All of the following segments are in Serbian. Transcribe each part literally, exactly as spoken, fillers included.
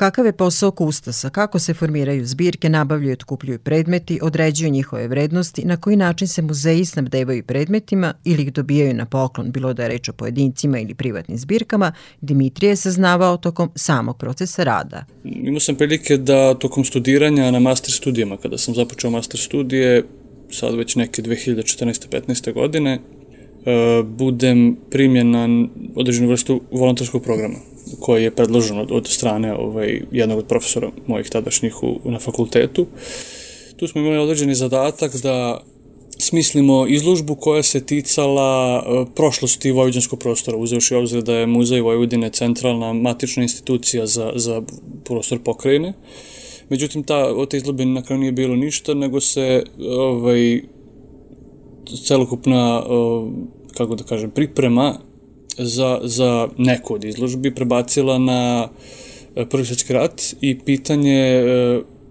Kakav je posao kustosa, kako se formiraju zbirke, nabavljaju i otkupljuju predmeti, određuju njihove vrednosti, na koji način se muzeji snabdevaju predmetima ili ih dobijaju na poklon, bilo da je reč o pojedincima ili privatnim zbirkama, Dimitrije je saznavao tokom samog procesa rada. Imao sam prilike da tokom studiranja na master studijama, kada sam započeo master studije, sad već neke dve hiljade četrnaeste petnaeste godine, budem primljen na određenu vrstu volonterskog programa koji je predložen od, od strane ovaj, jednog od profesora mojih tadašnjih u, na fakultetu. Tu smo imali određeni zadatak da smislimo izložbu koja se ticala prošlosti vojvođanskog prostora, uzevši obzir da je Muzej Vojvodine centralna matična institucija za, za prostor pokrajine. Međutim, ta, od te izložbe na kraju nije bilo ništa, nego se ovaj, celokupna, kako da kažem, priprema za, za neku od izložbi prebacila na Prvi svjetski rat i pitanje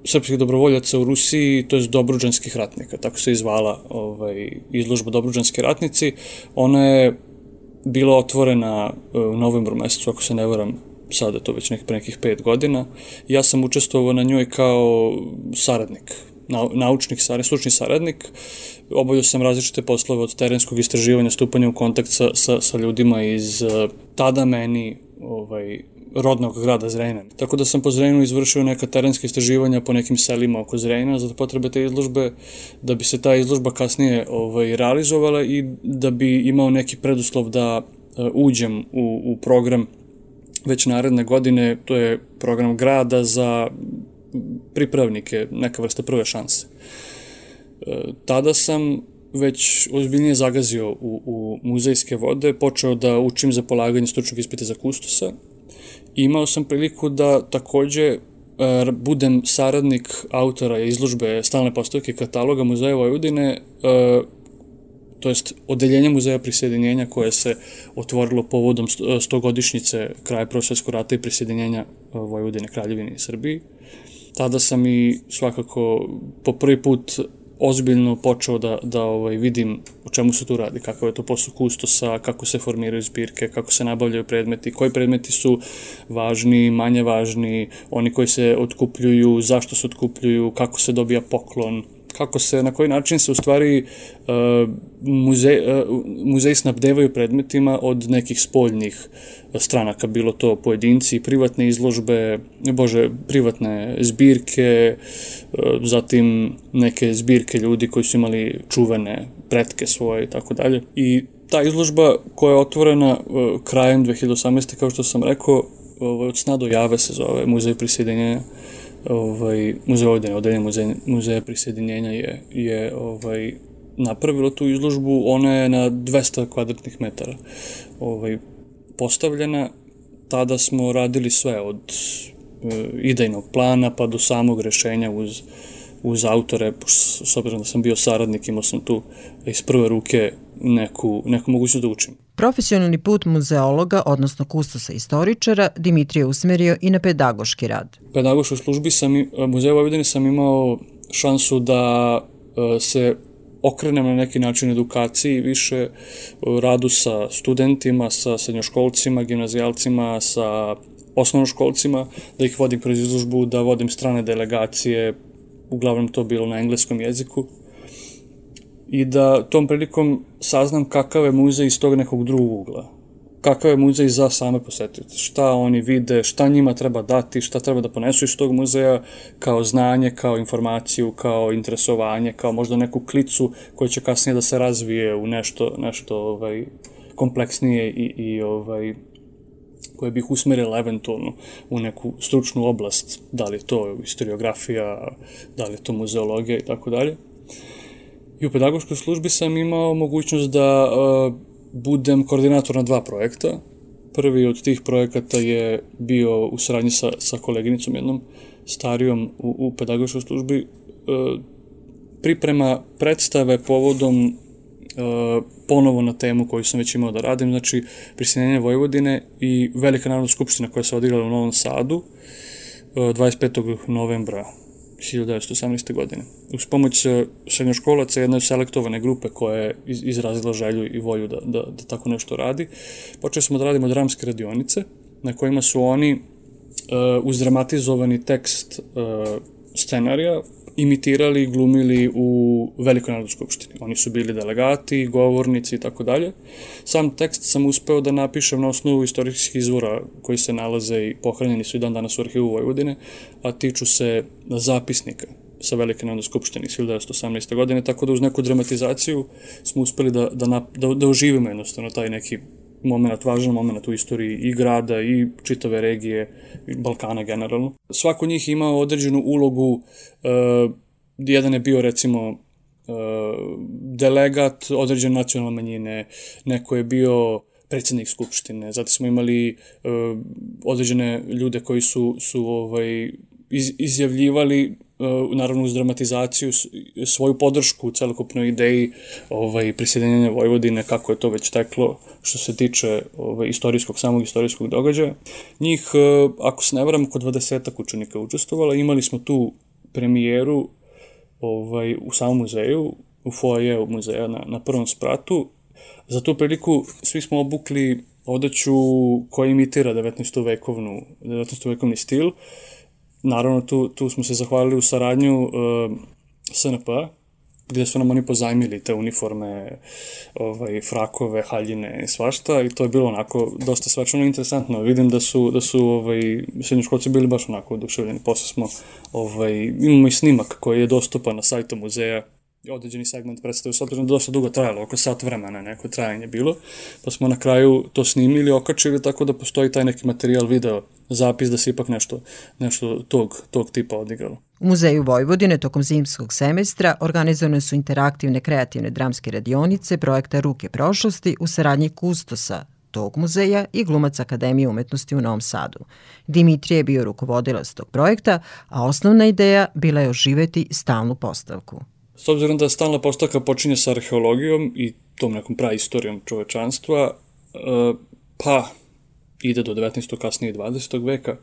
srpskih dobrovoljaca u Rusiji, to je Dobruđanskih ratnika, tako se izvala ovaj, izložba Dobruđanski ratnici. Ona je bila otvorena u novembru mesecu, ako se ne varam, sada je to već nekih, pre nekih pet godina. Ja sam učestvovao na njoj kao saradnik, naučnik, stručni saradnik. Obavljao sam različite poslove od terenskog istraživanja, stupanja u kontakt sa, sa, sa ljudima iz tada meni ovaj, rodnog grada Zrenjanina. Tako da sam po Zrenjaninu izvršio neka terenska istraživanja po nekim selima oko Zrenjanina za potrebe te izložbe, da bi se ta izložba kasnije ovaj, realizovala i da bi imao neki preduslov da uh, uđem u, u program već naredne godine, to je program grada za pripravnike, neka vrsta prve šanse. E, tada sam već ozbiljnije zagazio u, u muzejske vode, počeo da učim za polaganje stručnog ispita za kustosa. Imao sam priliku da takođe e, budem saradnik autora izložbe stalne postavke kataloga Muzeja Vojvodine, e, to jest odeljenja Muzeja prisjedinjenja koje se otvorilo povodom stogodišnjice kraja Prvog svjetskog rata i prisjedinjenja Vojvodine Kraljevini i Srbiji. Tada sam i svakako po prvi put ozbiljno počeo da, da ovaj, vidim o čemu se tu radi, kakav je to posao kustosa, kako se formiraju zbirke, kako se nabavljaju predmeti, koji predmeti su važni, manje važni, oni koji se otkupljuju, zašto se otkupljuju, kako se dobija poklon, kako se, na koji način se u stvari uh, muzej, uh, muzeji snabdevaju predmetima od nekih spoljnih stranaka, bilo to pojedinci, privatne izložbe, bože, privatne zbirke, uh, zatim neke zbirke ljudi koji su imali čuvene pretke svoje i tako dalje. I ta izložba koja je otvorena uh, krajem dve hiljade osamnaeste. kao što sam rekao, uh, od sna do jave se zove Muzej prisjedinjenja. Ovaj, Muzej Vojvodine, odeljenje muzeja, muzeja prisjedinjenja je, je ovaj, napravilo tu izložbu. Ona je na dvesta kvadratnih metara ovaj, postavljena. Tada smo radili sve od e, idejnog plana pa do samog rešenja uz, uz autore, s obzirom da sam bio saradnik, imao sam tu iz prve ruke neku, neku mogućnost da učim. Profesionalni put muzeologa, odnosno kustosa istoričara, Dimitrije usmerio i na pedagoški rad. U pedagoškoj službi sam, Muzeja Vojvodine sam imao šansu da se okrenem na neki način edukaciji, više radu sa studentima, sa srednjoškolcima, gimnazijalcima, sa osnovnoškolcima, da ih vodim kroz izložbu, da vodim strane delegacije, uglavnom to bilo na engleskom jeziku, i da tom prilikom saznam kakav je muzej iz tog nekog drugog ugla. Kakav je muzej za same posetioce, šta oni vide, šta njima treba dati, šta treba da ponesu iz tog muzeja kao znanje, kao informaciju, kao interesovanje, kao možda neku klicu koja će kasnije da se razvije u nešto, nešto ovaj, kompleksnije i, i ovaj, koje bih usmerila eventualno u neku stručnu oblast, da li je to historiografija, da li je to muzeologija i tako dalje. I u pedagoškoj službi sam imao mogućnost da uh, budem koordinator na dva projekta. Prvi od tih projekata je bio u saradnji sa, sa koleginicom jednom starijom u, u pedagoškoj službi, uh, priprema predstave povodom uh, ponovo na temu koju sam već imao da radim, znači prisjedinjenje Vojvodine i Velika narodna skupština koja se odigrala u Novom Sadu uh, dvadeset petog novembra hiljadu devetsto osamnaeste. godine. Uz pomoć srednjoškolaca jedne selektovane grupe koja je izrazila želju i volju da, da, da tako nešto radi, počeli smo da radimo dramske radionice na kojima su oni uz dramatizovani tekst scenarija imitirali i glumili u Velikoj narodnoj skupštini. Oni su bili delegati, govornici i tako dalje. Sam tekst sam uspeo da napišem na osnovu istorijskih izvora koji se nalaze i pohranjeni su i dan danas u arhivu Vojvodine, a tiču se zapisnika sa Velike narodne skupštine iz hiljadu devetsto osamnaeste. godine, tako da uz neku dramatizaciju smo uspeli da, da, da, da oživimo jednostavno taj neki moment, važan moment u istoriji i grada i čitave regije, Balkana generalno. Svako od njih imao određenu ulogu, uh, jedan je bio recimo uh, delegat određene nacionalne manjine, neko je bio predsjednik skupštine, zatim smo imali uh, određene ljude koji su, su ovaj, iz, izjavljivali naravno uz dramatizaciju svoju podršku u celokupnoj ideji ovaj, prisjedinjenja Vojvodine, kako je to već teklo što se tiče ovaj, istorijskog, samog istorijskog događaja. Njih, ako se ne varam, oko dvadesetak učenika učestvovala. Imali smo tu premijeru ovaj, u samom muzeju, u foajeu muzeja na, na prvom spratu. Za tu priliku svi smo obukli odeću koja imitira devetnaestovekovnu, devetnaestovekovni stil. Naravno, tu, tu smo se zahvalili u saradnju uh, S N P-a, gde su nam oni pozajmili te uniforme, ovaj, frakove, haljine i svašta, i to je bilo onako dosta svečano interesantno. Vidim da su, da su ovaj, srednjoškolci bili baš onako oduševljeni. Posle smo, ovaj, imamo i snimak koji je dostupan na sajtu muzeja, određeni segment predstavio, s obzirom da dosta dugo trajalo, oko sat vremena neko trajanje bilo, pa smo na kraju to snimili, okačili, tako da postoji taj neki materijal, video, zapis da se ipak nešto, nešto tog, tog tipa odigralo. U Muzeju Vojvodine tokom zimskog semestra organizovane su interaktivne kreativne dramske radionice projekta Ruke prošlosti u saradnji kustosa tog muzeja i glumac Akademije umetnosti u Novom Sadu. Dimitrije je bio rukovodilac tog projekta, a osnovna ideja bila je oživeti stalnu postavku. S obzirom da stalna postavka počinje sa arheologijom i tom nekom praistorijom čovečanstva, pa ide do devetnaestog kasnije dvadesetog veka,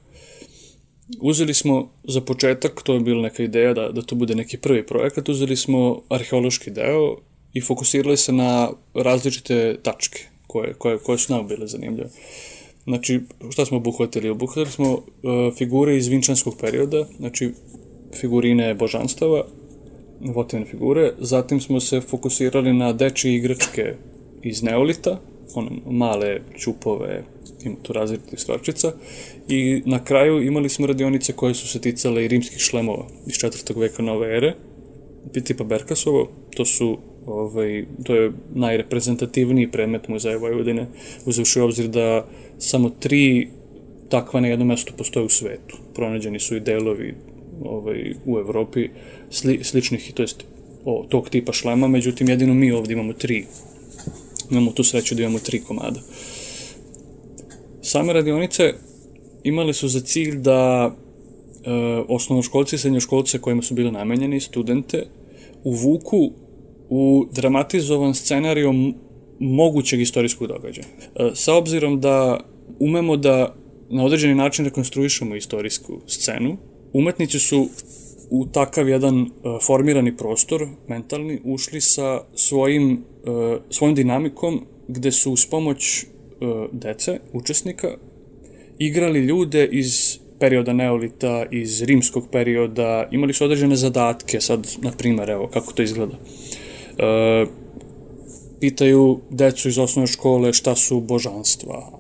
uzeli smo za početak, to je bila neka ideja da, da to bude neki prvi projekat, uzeli smo arheološki deo i fokusirali se na različite tačke koje, koje, koje su nam bile zanimljive. Znači, šta smo obuhvatili? Obuhvatili smo uh, figure iz vinčanskog perioda, znači figurine božanstava, votivne figure, zatim smo se fokusirali na dečije igračke iz neolita, one male ćupove, ima tu različitih stvarčica, i na kraju imali smo radionice koje su se ticale i rimskih šlemova iz četvrtog veka nove ere, tipa Berkasovo, to su ovaj, to je najreprezentativniji predmet Muzeja Vojvodine, uzevši u obzir da samo tri takva na jednom mestu postoje u svetu. Pronađeni su i delovi ovaj, u Evropi sli, sličnih, to jest o, tog tipa šlema, međutim jedino mi ovdje imamo tri. Imamo tu sreću da imamo tri komada. Same radionice imale su za cilj da e, osnovnoškolci i srednjoškolce kojima su bili namenjeni, studente, uvuku u dramatizovan scenario mogućeg istorijskog događaja. E, sa obzirom da umemo da na određeni način rekonstruišemo istorijsku scenu, umetnici su u takav jedan uh, formirani prostor, mentalni, ušli sa svojim, uh, svojim dinamikom, gde su uz pomoć uh, dece, učesnika, igrali ljude iz perioda neolita, iz rimskog perioda, imali su određene zadatke, sad, na primer, evo, kako to izgleda. Uh, pitaju decu iz osnovne škole šta su božanstva,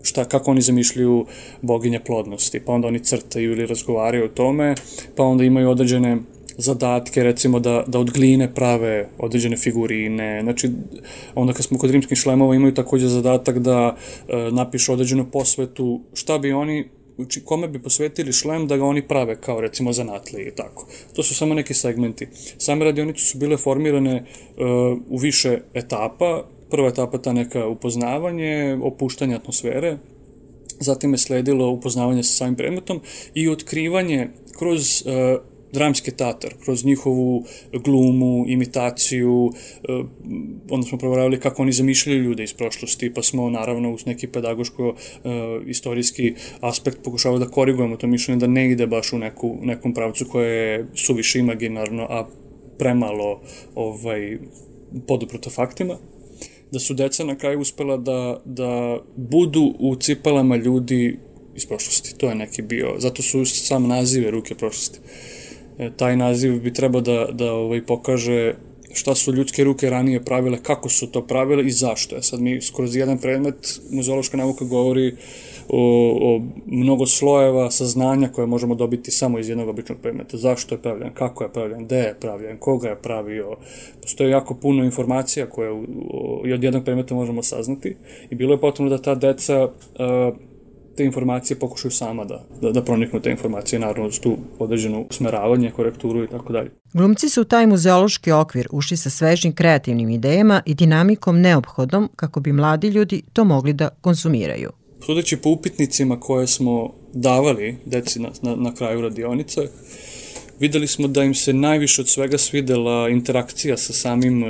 šta, kako oni zamišljaju boginje plodnosti, pa onda oni crtaju ili razgovaraju o tome, pa onda imaju određene zadatke, recimo da, da od gline prave određene figurine, znači onda kad smo kod rimskih šlemova imaju također zadatak da e, napišu određenu posvetu, šta bi oni, kome bi posvetili šlem da ga oni prave kao recimo zanatlije i tako. To su samo neki segmenti. Same radionice su bile formirane e, u više etapa. Prva etapa ta neka upoznavanje, opuštanje atmosfere, zatim je sledilo upoznavanje sa samim predmetom i otkrivanje kroz uh, dramski teatar, kroz njihovu glumu, imitaciju, uh, onda smo proveravali kako oni zamišljaju ljude iz prošlosti, pa smo naravno uz neki pedagoško-istorijski uh, aspekt pokušavali da korigujemo to mišljenje, da ne ide baš u neku, nekom pravcu koje je suviše imaginarno, a premalo ovaj, poduprto faktima. Da su deca na kraju uspela da, da budu u cipelama ljudi iz prošlosti. To je neki bio, zato su sam nazive ruke prošlosti. E, taj naziv bi trebao da, da ovaj, pokaže šta su ljudske ruke ranije pravile, kako su to pravile i zašto. E sad mi skroz jedan predmet, muzeološka nauka govori o, o mnogo slojeva saznanja koje možemo dobiti samo iz jednog običnog predmeta. Zašto je pravljen, kako je pravljen, gde je pravljen, koga je pravio. Postoje jako puno informacija koje u, o, od jednog predmeta možemo saznati i bilo je potrebno da ta deca a, te informacije pokušaju sama da, da, da proniknu te informacije, naravno uz tu određenu usmeravanje, korekturu i tako dalje. Glumci su u taj muzeološki okvir ušli sa svežim kreativnim idejama i dinamikom neophodnom kako bi mladi ljudi to mogli da konzumiraju. Sudeći po upitnicima koje smo davali deci na, na, na kraju radionice, videli smo da im se najviše od svega svidela interakcija sa samim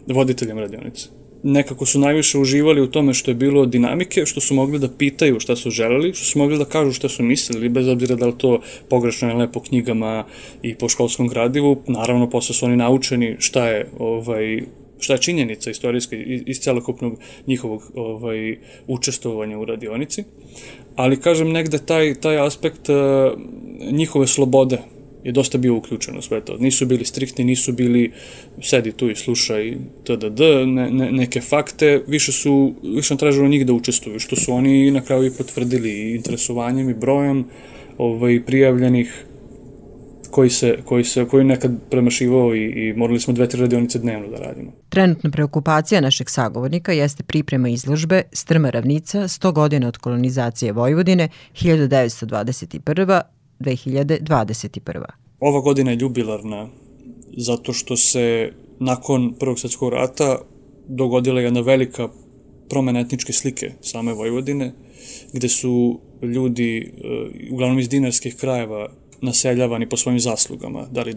voditeljem radionice. Nekako su najviše uživali u tome što je bilo dinamike, što su mogli da pitaju šta su želeli, što su mogli da kažu šta su mislili, bez obzira da li to pogrešno ili ne po knjigama i po školskom gradivu. Naravno, posle su oni naučeni šta je, ovaj, šta je činjenica istorijska iz celokupnog njihovog ovaj, učestvovanja u radionici. Ali, kažem, negde taj, taj aspekt uh, njihove slobode je dosta bio uključeno sve to. Nisu bili striktni, nisu bili sedi tu i slušaj tdd, ne, ne, neke fakte, više su, više nam tražilo njih da učestvuju, što su oni na kraju i potvrdili i interesovanjem i brojem ovaj, prijavljenih koji se, koji se, koji nekad premašivao i, i morali smo dve, tri radionice dnevno da radimo. Trenutna preokupacija našeg sagovornika jeste priprema izložbe Strma ravnica, sto godina od kolonizacije Vojvodine, hiljadu devetsto dvadeset prva do dve hiljade dvadeset prva. Ova godina je jubilarna zato što se nakon Prvog svjetskog rata dogodila jedna velika promena etničke slike same Vojvodine, gde su ljudi, uglavnom iz dinarskih krajeva, naseljavani po svojim zaslugama, da li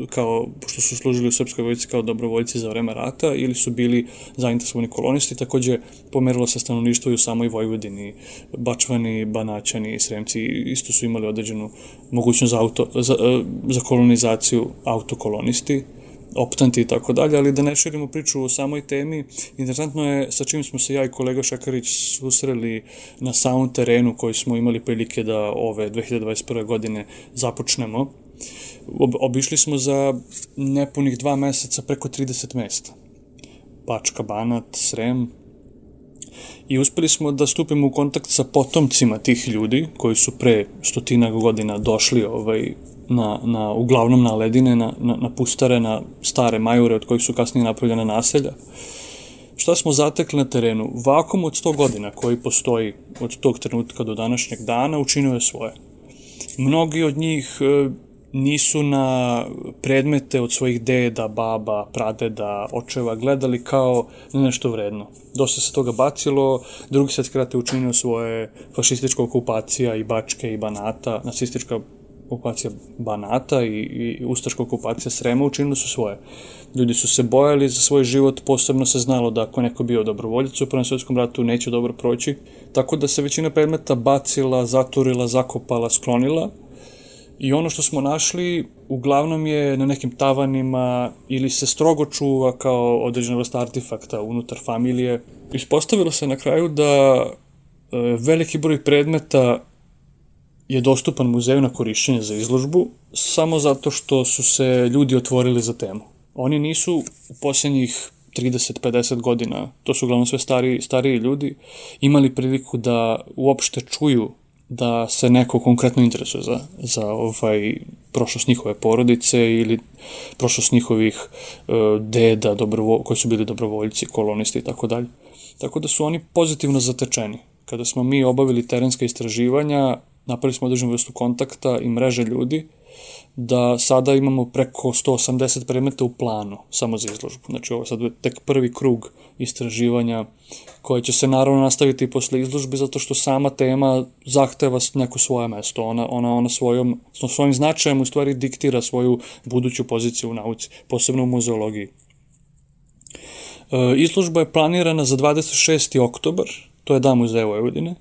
kao, pošto su služili u srpskoj vojsci kao dobrovoljci za vreme rata ili su bili zainteresovani kolonisti, takođe pomerilo se stanovništvo i u samoj Vojvodini, Bačvani, Banaćani, Sremci isto su imali određenu mogućnost za, auto, za, za kolonizaciju autokolonisti, optanti i tako dalje, ali da ne širimo priču o samoj temi, interesantno je sa čim smo se ja i kolega Šekarić susreli na samom terenu koji smo imali prilike da ove dve hiljade dvadeset prve. godine započnemo. Obišli smo za nepunih dva meseca preko trideset mesta. Bačka, Banat, Srem. I uspeli smo da stupimo u kontakt sa potomcima tih ljudi koji su pre stotinak godina došli ovaj, na, na, uglavnom na ledine, na, na, na pustare, na stare majure od kojih su kasnije napravljene naselja. Šta smo zatekli na terenu? Vakum od sto godina koji postoji od tog trenutka do današnjeg dana učinio je svoje. Mnogi od njih e, nisu na predmete od svojih deda, baba, pradeda, očeva gledali kao nešto vredno. Dosta se toga bacilo, Drugi svjetski rat je učinio svoje, fašistička okupacija i Bačke i Banata, nacistička okupacija Banata i, i ustaška okupacija Srema učinili su svoje. Ljudi su se bojali za svoj život, posebno se znalo da ako neko bio dobrovoljac u Prvom svjetskom ratu neće dobro proći, tako da se većina predmeta bacila, zaturila, zakopala, sklonila. I ono što smo našli uglavnom je na nekim tavanima ili se strogo čuva kao određena vrsta artefakta unutar familije. Ispostavilo se na kraju da e, veliki broj predmeta je dostupan muzeju na korišćenje za izložbu samo zato što su se ljudi otvorili za temu. Oni nisu u posljednjih trideset do pedeset godina, to su uglavnom sve stariji, stariji ljudi, imali priliku da uopšte čuju da se neko konkretno interesuje za, za ovaj, prošlost njihove porodice ili prošlost njihovih uh, deda dobrovo, koji su bili dobrovoljci, kolonisti i tako dalje. Tako da su oni pozitivno zatečeni. Kada smo mi obavili terenska istraživanja, napravili smo određenu vrstu kontakta i mreže ljudi, da sada imamo preko sto osamdeset predmeta u planu, samo za izložbu. Znači ovo je sad tek prvi krug istraživanja koje će se naravno nastaviti i posle izložbe, zato što sama tema zahteva neko svoje mesto. Ona, ona, ona svojom, svojim značajem u stvari diktira svoju buduću poziciju u nauci, posebno u muzeologiji. E, izložba je planirana za dvadeset šesti oktobar, to je Dan muzeja Vojvodine,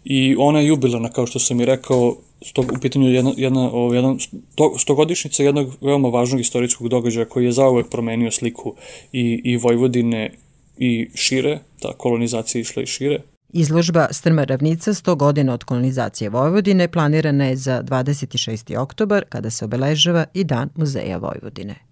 i ona je jubilarna, kao što sam i rekao, sto, u pitanju jedna, jedna, o, jedan, sto, stogodišnjica jednog veoma važnog istorijskog događaja koji je zauvek promenio sliku i, i Vojvodine i šire, ta kolonizacija išla i šire. Izložba Strma ravnica sto godina od kolonizacije Vojvodine planirana je za dvadeset šesti oktobar kada se obeležava i Dan muzeja Vojvodine.